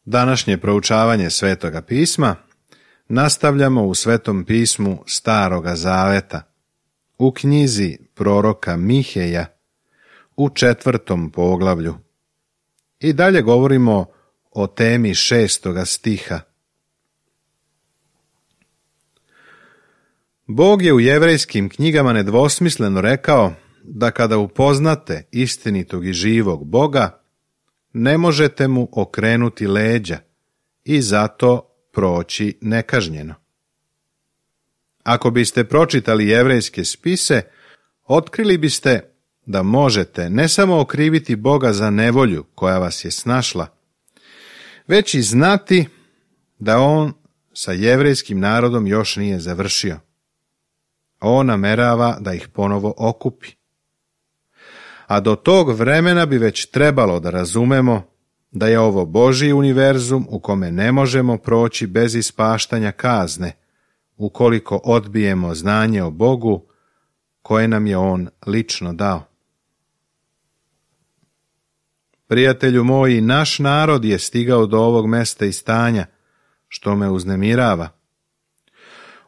Današnje proučavanje Svetoga pisma nastavljamo u Svetom pismu Staroga Zaveta, u knjizi proroka Miheja, u 4. poglavlju. I dalje govorimo o temi 6. stiha. Bog je u jevrejskim knjigama nedvosmisleno rekao da kada upoznate istinitog i živog Boga, ne možete mu okrenuti leđa i zato proći nekažnjeno. Ako biste pročitali jevrejske spise, otkrili biste da možete ne samo okriviti Boga za nevolju koja vas je snašla, već i znati da on sa jevrejskim narodom još nije završio. On namerava da ih ponovo okupi. A do tog vremena bi već trebalo da razumemo da je ovo Božji univerzum u kome ne možemo proći bez ispaštanja kazne, ukoliko odbijemo znanje o Bogu koje nam je on lično dao. Prijatelju moji, naš narod je stigao do ovog mesta i stanja, što me uznemirava.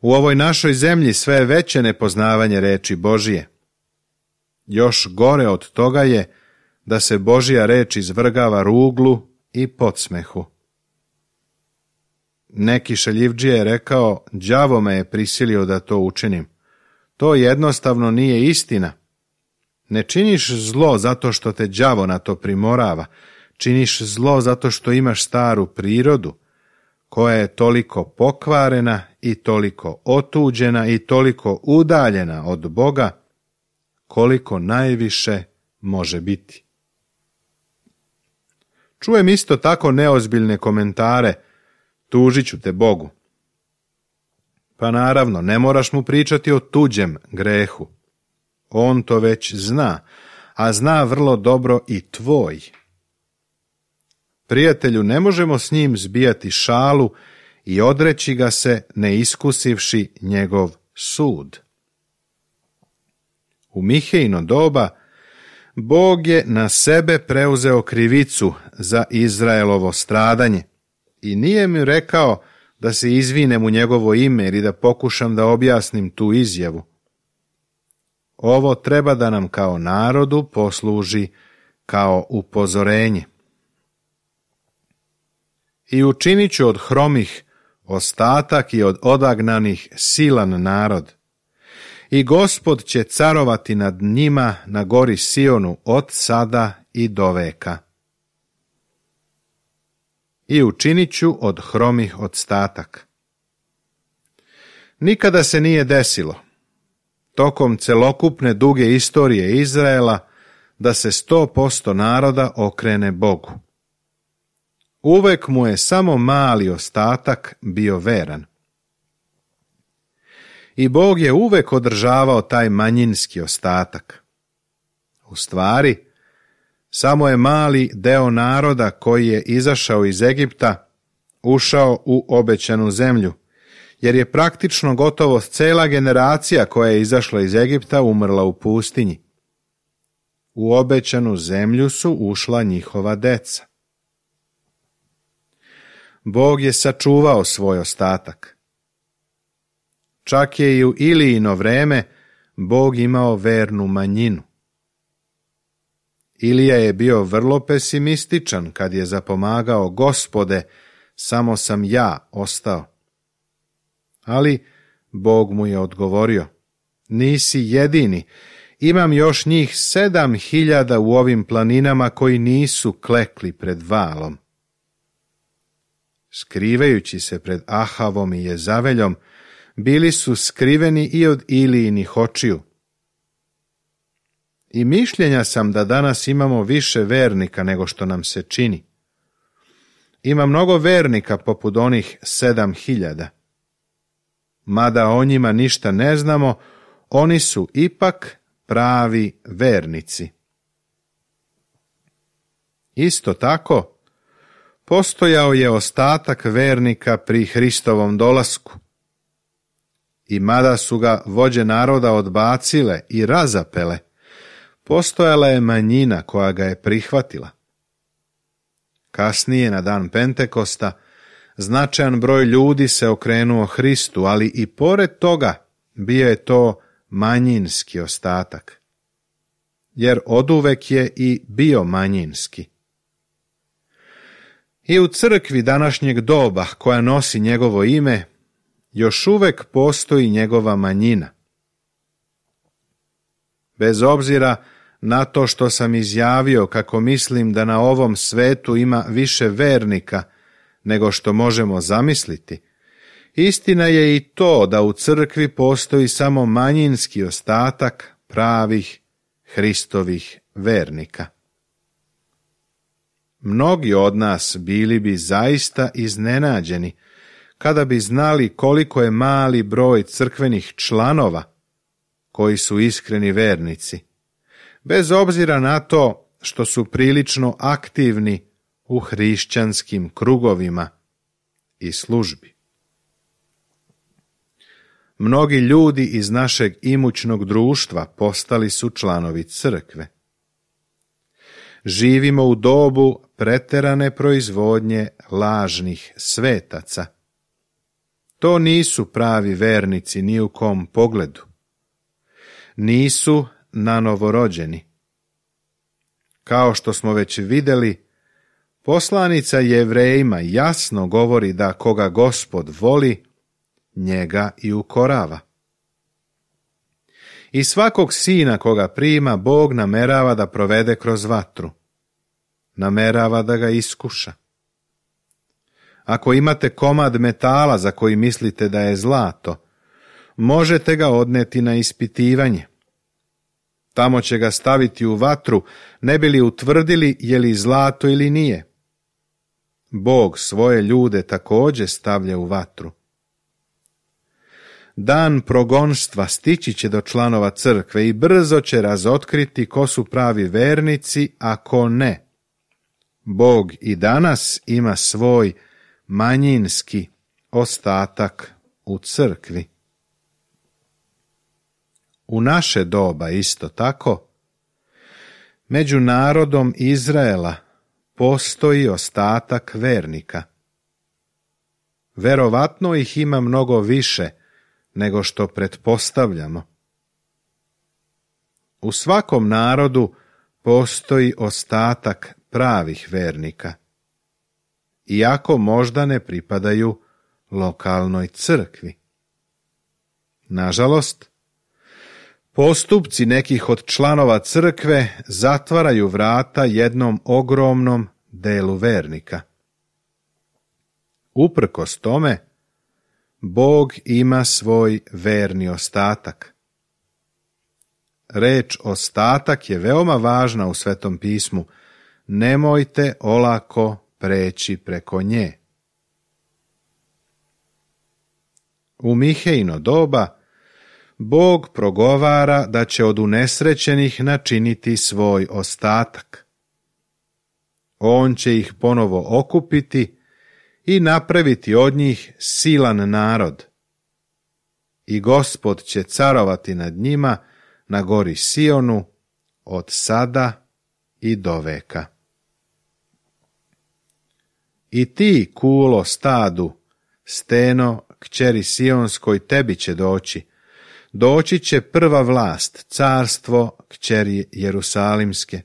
U ovoj našoj zemlji sve je veće nepoznavanje reči Božije. Još gore od toga je da se Božja reč izvrgava ruglu i podsmehu. Neki šaljivdžija je rekao, đavo me je prisilio da to učinim. To jednostavno nije istina. Ne činiš zlo zato što te đavo na to primorava. Činiš zlo zato što imaš staru prirodu, koja je toliko pokvarena i toliko otuđena i toliko udaljena od Boga, koliko najviše može biti. Čujem isto tako neozbiljne komentare, tužit ću te Bogu. Pa naravno, ne moraš mu pričati o tuđem grehu. On to već zna, a zna vrlo dobro i tvoj. Prijatelju, ne možemo s njim zbijati šalu i odreći ga se ne iskusivši njegov sud. U Mihejino doba Bog je na sebe preuzeo krivicu za Izraelovo stradanje i nije mi rekao da se izvinem u njegovo ime ili da pokušam da objasnim tu izjavu. Ovo treba da nam kao narodu posluži kao upozorenje. I učinit ću od hromih ostatak i od odagnanih silan narod. I Gospod će carovati nad njima na gori Sionu od sada i do veka. I učinit ću od hromih ostatak. Nikada se nije desilo, tokom celokupne duge istorije Izraela, da se 100% naroda okrene Bogu. Uvek mu je samo mali ostatak bio veran. I Bog je uvek održavao taj manjinski ostatak. U stvari, samo je mali deo naroda koji je izašao iz Egipta ušao u obećanu zemlju, jer je praktično gotovo cela generacija koja je izašla iz Egipta umrla u pustinji. U obećanu zemlju su ušla njihova deca. Bog je sačuvao svoj ostatak. Čak je i u Ilijino vreme Bog imao vernu manjinu. Ilija je bio vrlo pesimističan kad je zapomagao, Gospode, samo sam ja ostao. Ali Bog mu je odgovorio, nisi jedini, imam još njih 7.000 u ovim planinama koji nisu klekli pred valom. Skrivajući se pred Ahavom i Jezaveljom, bili su skriveni i od Ilijinih očiju. I mišljenja sam da danas imamo više vernika nego što nam se čini. Ima mnogo vernika poput onih 7.000. Mada o njima ništa ne znamo, oni su ipak pravi vernici. Isto tako, postojao je ostatak vernika pri Hristovom dolasku. I mada su ga vođe naroda odbacile i razapele, postojala je manjina koja ga je prihvatila. Kasnije, na dan Pentekosta, značajan broj ljudi se okrenuo Hristu, ali i pored toga bio je to manjinski ostatak, jer oduvek je i bio manjinski. I u crkvi današnjeg doba, koja nosi njegovo ime, još uvek postoji njegova manjina. Bez obzira na to što sam izjavio kako mislim da na ovom svetu ima više vernika nego što možemo zamisliti, istina je i to da u crkvi postoji samo manjinski ostatak pravih Hristovih vernika. Mnogi od nas bili bi zaista iznenađeni kada bi znali koliko je mali broj crkvenih članova koji su iskreni vernici, bez obzira na to što su prilično aktivni u hrišćanskim krugovima i službi. Mnogi ljudi iz našeg imućnog društva postali su članovi crkve. Živimo u dobu preterane proizvodnje lažnih svetaca. To nisu pravi vernici ni u kom pogledu. Nisu nanovorođeni. Kao što smo već vidjeli, poslanica Jevrejima jasno govori da koga Gospod voli, njega i ukorava. I svakog sina koga prima, Bog namerava da provede kroz vatru. Namerava da ga iskuša. Ako imate komad metala za koji mislite da je zlato, možete ga odneti na ispitivanje. Tamo će ga staviti u vatru, ne bi li utvrdili je li zlato ili nije. Bog svoje ljude također stavlja u vatru. Dan progonstva stići će do članova crkve i brzo će razotkriti ko su pravi vernici, a ko ne. Bog i danas ima svoj manjinski ostatak u crkvi. U naše doba isto tako, među narodom Izraela postoji ostatak vernika. Verovatno ih ima mnogo više nego što pretpostavljamo. U svakom narodu postoji ostatak pravih vernika, iako možda ne pripadaju lokalnoj crkvi. Nažalost, postupci nekih od članova crkve zatvaraju vrata jednom ogromnom delu vernika. Uprkos tome, Bog ima svoj verni ostatak. Reč ostatak je veoma važna u Svetom pismu. Nemojte olako preći preko nje. U Mihejino doba Bog progovara da će od unesrećenih načiniti svoj ostatak. On će ih ponovo okupiti i napraviti od njih silan narod. I Gospod će carovati nad njima na gori Sionu od sada i do veka. I ti, kulo stadu, steno, kćeri Sionskoj, tebi će doći. Doći će prva vlast, carstvo, kćeri Jerusalimske.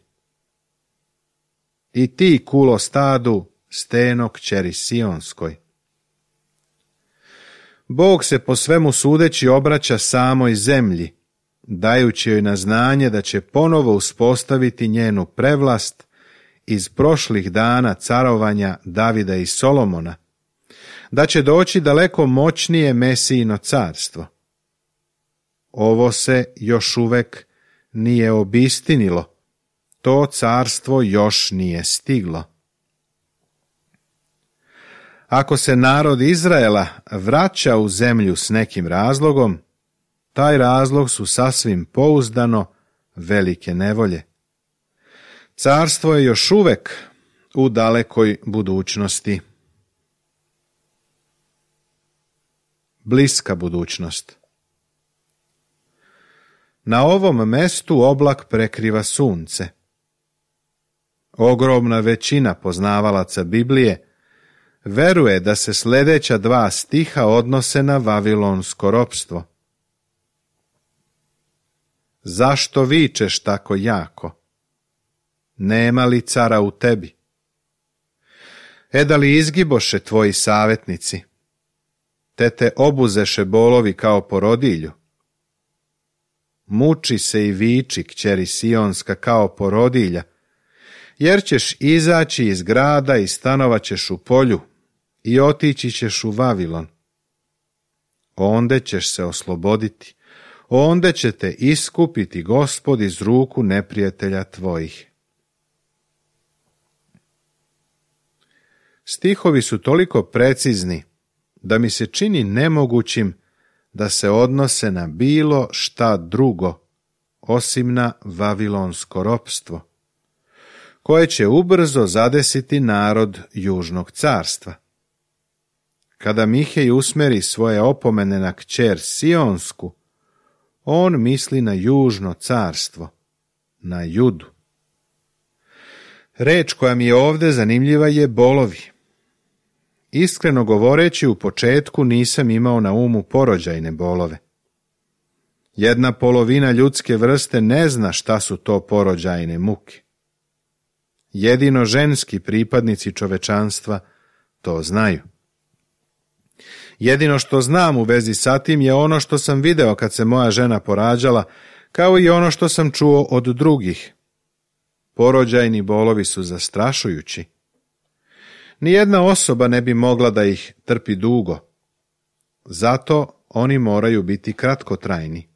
I ti, kulo stadu, steno, kćeri Sionskoj. Bog se po svemu sudeći obraća samoj zemlji, dajući joj na znanje da će ponovo uspostaviti njenu prevlast iz prošlih dana carovanja Davida i Solomona, da će doći daleko moćnije Mesijino carstvo. Ovo se još uvek nije obistinilo, to carstvo još nije stiglo. Ako se narod Izraela vraća u zemlju s nekim razlogom, taj razlog su sasvim pouzdano velike nevolje. Carstvo je još uvek u dalekoj budućnosti. Bliska budućnost. Na ovom mestu oblak prekriva sunce. Ogromna većina poznavalaca Biblije veruje da se sljedeća 2 stiha odnose na vavilonsko ropstvo. Zašto vičeš tako jako? Nema li cara u tebi? Da li izgiboše tvoji savjetnici? Te obuzeše bolovi kao porodilju? Muči se i viči, kćeri Sionska, kao porodilja, jer ćeš izaći iz grada i stanovat ćeš u polju i otići ćeš u Vavilon. Onda ćeš se osloboditi, onda će te iskupiti Gospod iz ruku neprijatelja tvojih. Stihovi su toliko precizni da mi se čini nemogućim da se odnose na bilo šta drugo osim na vavilonsko ropstvo, koje će ubrzo zadesiti narod Južnog carstva. Kada Mihej usmeri svoje opomene na kćer Sionsku, on misli na Južno carstvo, na Judu. Reč koja mi je ovdje zanimljiva je bolovi. Iskreno govoreći, u početku nisam imao na umu porođajne bolove. 1/2 ljudske vrste ne zna šta su to porođajne muke. Jedino ženski pripadnici čovečanstva to znaju. Jedino što znam u vezi sa tim je ono što sam video kad se moja žena porađala, kao i ono što sam čuo od drugih. Porođajni bolovi su zastrašujući. Nijedna osoba ne bi mogla da ih trpi dugo. Zato oni moraju biti kratkotrajni.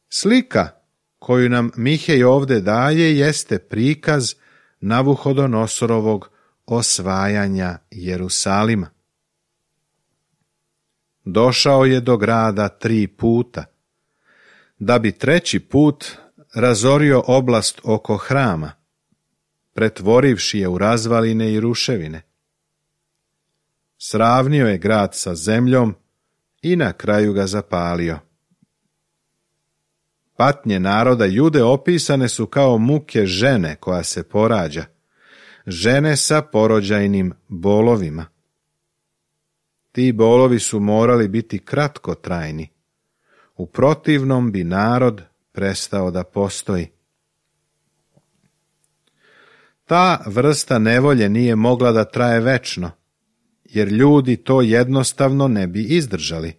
Slika koju nam Mihej ovdje daje jeste prikaz Navuhodonosorovog osvajanja Jerusalima. Došao je do grada 3 puta, da bi 3. put razorio oblast oko hrama, pretvorivši je u razvaline i ruševine. Sravnio je grad sa zemljom i na kraju ga zapalio. Patnje naroda Jude opisane su kao muke žene koja se porađa, žene sa porođajnim bolovima. Ti bolovi su morali biti kratkotrajni, u protivnom bi narod prestao da postoji. Ta vrsta nevolje nije mogla da traje večno, jer ljudi to jednostavno ne bi izdržali.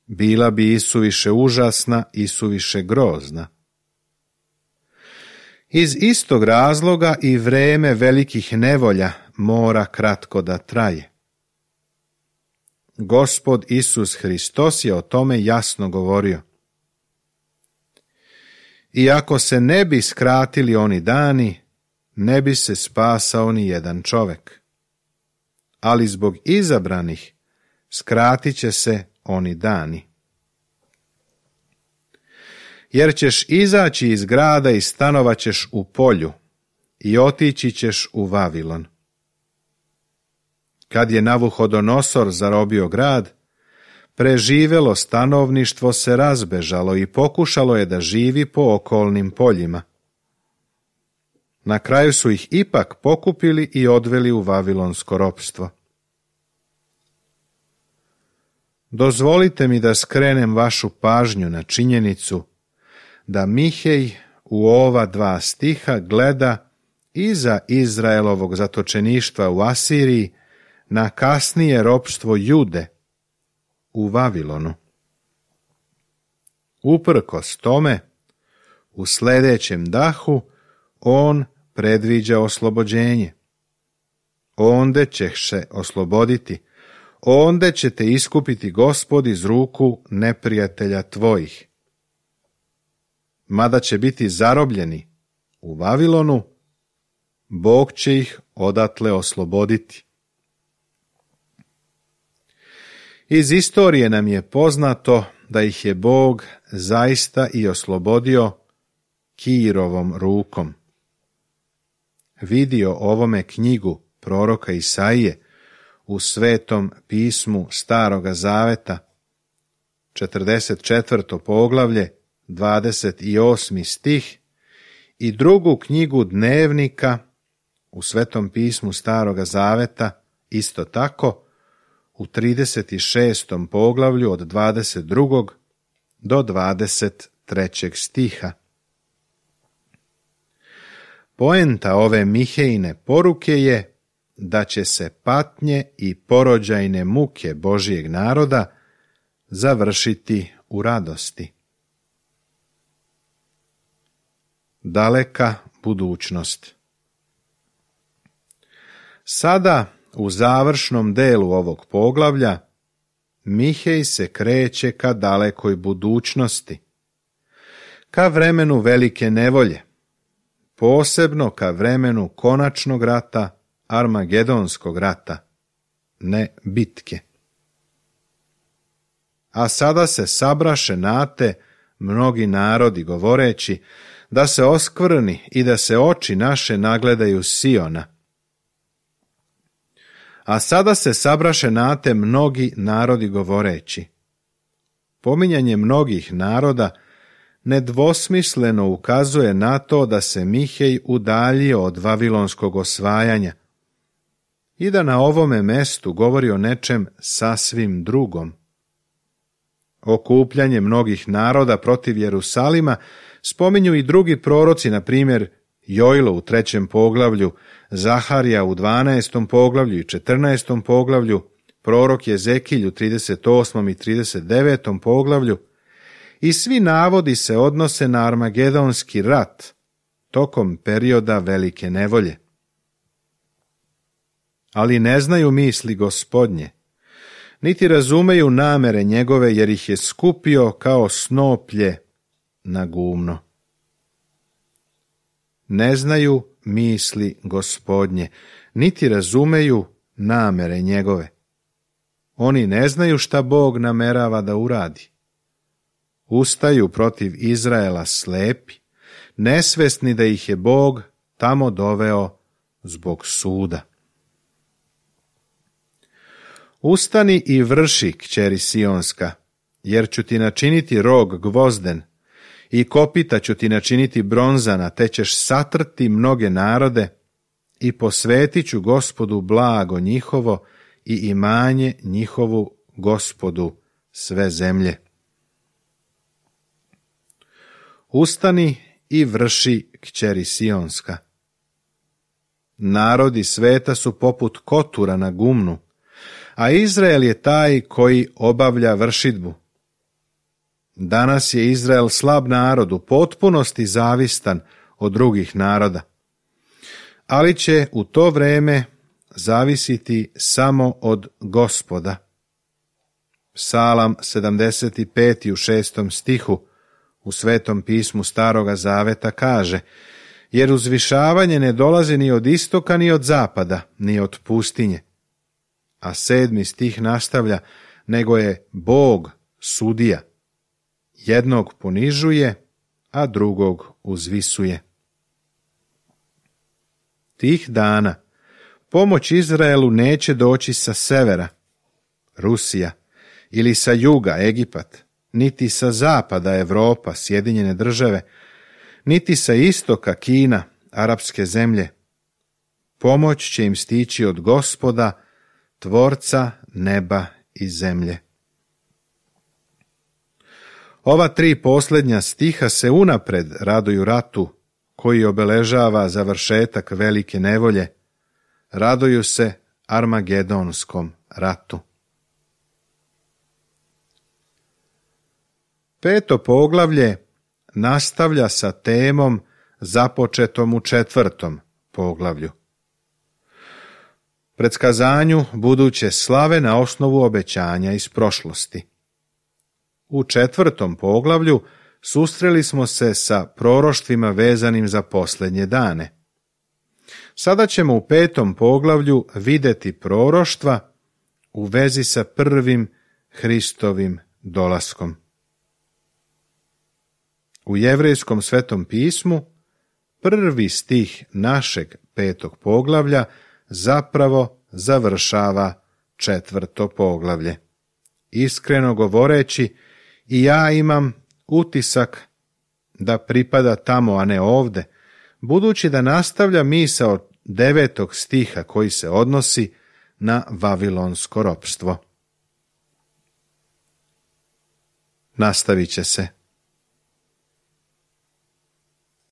Bila bi isuviše užasna, isuviše grozna. Iz istog razloga i vreme velikih nevolja mora kratko da traje. Gospod Isus Hristos je o tome jasno govorio. Iako se ne bi skratili oni dani, ne bi se spasao ni jedan čovek. Ali zbog izabranih skratit će se oni dani. Jer ćeš izaći iz grada i stanovat ćeš u polju i otići ćeš u Vavilon. Kad je Navuhodonosor zarobio grad, preživelo stanovništvo se razbežalo i pokušalo je da živi po okolnim poljima. Na kraju su ih ipak pokupili i odveli u vavilonsko ropstvo. Dozvolite mi da skrenem vašu pažnju na činjenicu da Mihej u ova 2 stiha gleda iza Izraelovog zatočeništva u Asiriji na kasnije ropstvo Jude u Vavilonu. Uprkos tome, u sljedećem dahu on predviđa oslobođenje. Onda ćeš se osloboditi, onda će te iskupiti Gospod iz ruku neprijatelja tvojih. Mada će biti zarobljeni u Vavilonu, Bog će ih odatle osloboditi. Iz istorije nam je poznato da ih je Bog zaista i oslobodio Kirovom rukom. Vidio ovome knjigu proroka Isaije u Svetom pismu Staroga Zaveta, 44. poglavlje, 28. stih i drugu knjigu dnevnika u Svetom pismu Staroga Zaveta, isto tako, u 36. poglavlju od 22. do 23. stiha. Poenta ove Mihejine poruke je da će se patnje i porođajne muke Božijeg naroda završiti u radosti. Daleka budućnost. Sada, u završnom delu ovog poglavlja, Mihej se kreće ka dalekoj budućnosti, ka vremenu velike nevolje, posebno ka vremenu konačnog rata, Armagedonskog rata, ne bitke. A sada se sabraše nate mnogi narodi, govoreći da se oskvrni i da se oči naše nagledaju Siona. A sada se sabraše nate mnogi narodi, govoreći. Pominjanje mnogih naroda nedvosmisleno ukazuje na to da se Mihej udaljio od vavilonskog osvajanja i da na ovome mestu govori o nečem sasvim drugom. Okupljanje mnogih naroda protiv Jerusalima spominju i drugi proroci, na primjer Jojlo u 3. poglavlju, Zaharija u 12. poglavlju i 14. poglavlju, prorok Jezekilj u 38. i 39. poglavlju, i svi navodi se odnose na Armagedonski rat tokom perioda velike nevolje. Ali ne znaju misli Gospodnje, niti razumeju namere njegove, jer ih je skupio kao snoplje na gumno. Ne znaju misli Gospodnje, niti razumeju namere njegove. Oni ne znaju šta Bog namerava da uradi. Ustaju protiv Izraela slepi, nesvesni da ih je Bog tamo doveo zbog suda. Ustani i vrši, kćeri Sionska, jer ću ti načiniti rog gvozden i kopita ću ti načiniti bronzana, te ćeš satrti mnoge narode i posvetit ću Gospodu blago njihovo i imanje njihovu Gospodu sve zemlje. Ustani i vrši, kćeri Sionska. Narodi sveta su poput kotura na gumnu, a Izrael je taj koji obavlja vršidbu. Danas je Izrael slab narod, u potpunosti zavistan od drugih naroda, ali će u to vreme zavisiti samo od Gospoda. Psalam 75. u 6. stihu u Svetom pismu Staroga Zaveta kaže: jer uzvišavanje ne dolazi ni od istoka ni od zapada, ni od pustinje. A 7. stih nastavlja: nego je Bog sudija. Jednog ponižuje, a drugog uzvisuje. Tih dana pomoć Izraelu neće doći sa severa, Rusija, ili sa juga, Egipat, niti sa zapada, Evropa, Sjedinjene države, niti sa istoka, Kina, arapske zemlje. Pomoć će im stići od Gospoda, Tvorca neba i zemlje. Ova 3 posljednja stiha se unapred raduju ratu koji obeležava završetak velike nevolje. Raduju se Armagedonskom ratu. 5. poglavlje nastavlja sa temom započetom u 4. poglavlju. Predskazanju buduće slave na osnovu obećanja iz prošlosti. U 4. poglavlju susreli smo se sa proroštvima vezanim za posljednje dane. Sada ćemo u 5. poglavlju vidjeti proroštva u vezi sa prvim Hristovim dolaskom. U Jevrejskom svetom pismu 1. stih našeg 5. poglavlja zapravo završava 4. poglavlje. Iskreno govoreći, i ja imam utisak da pripada tamo, a ne ovde, budući da nastavlja misao 9. stiha koji se odnosi na vavilonsko ropstvo. Nastavit će se.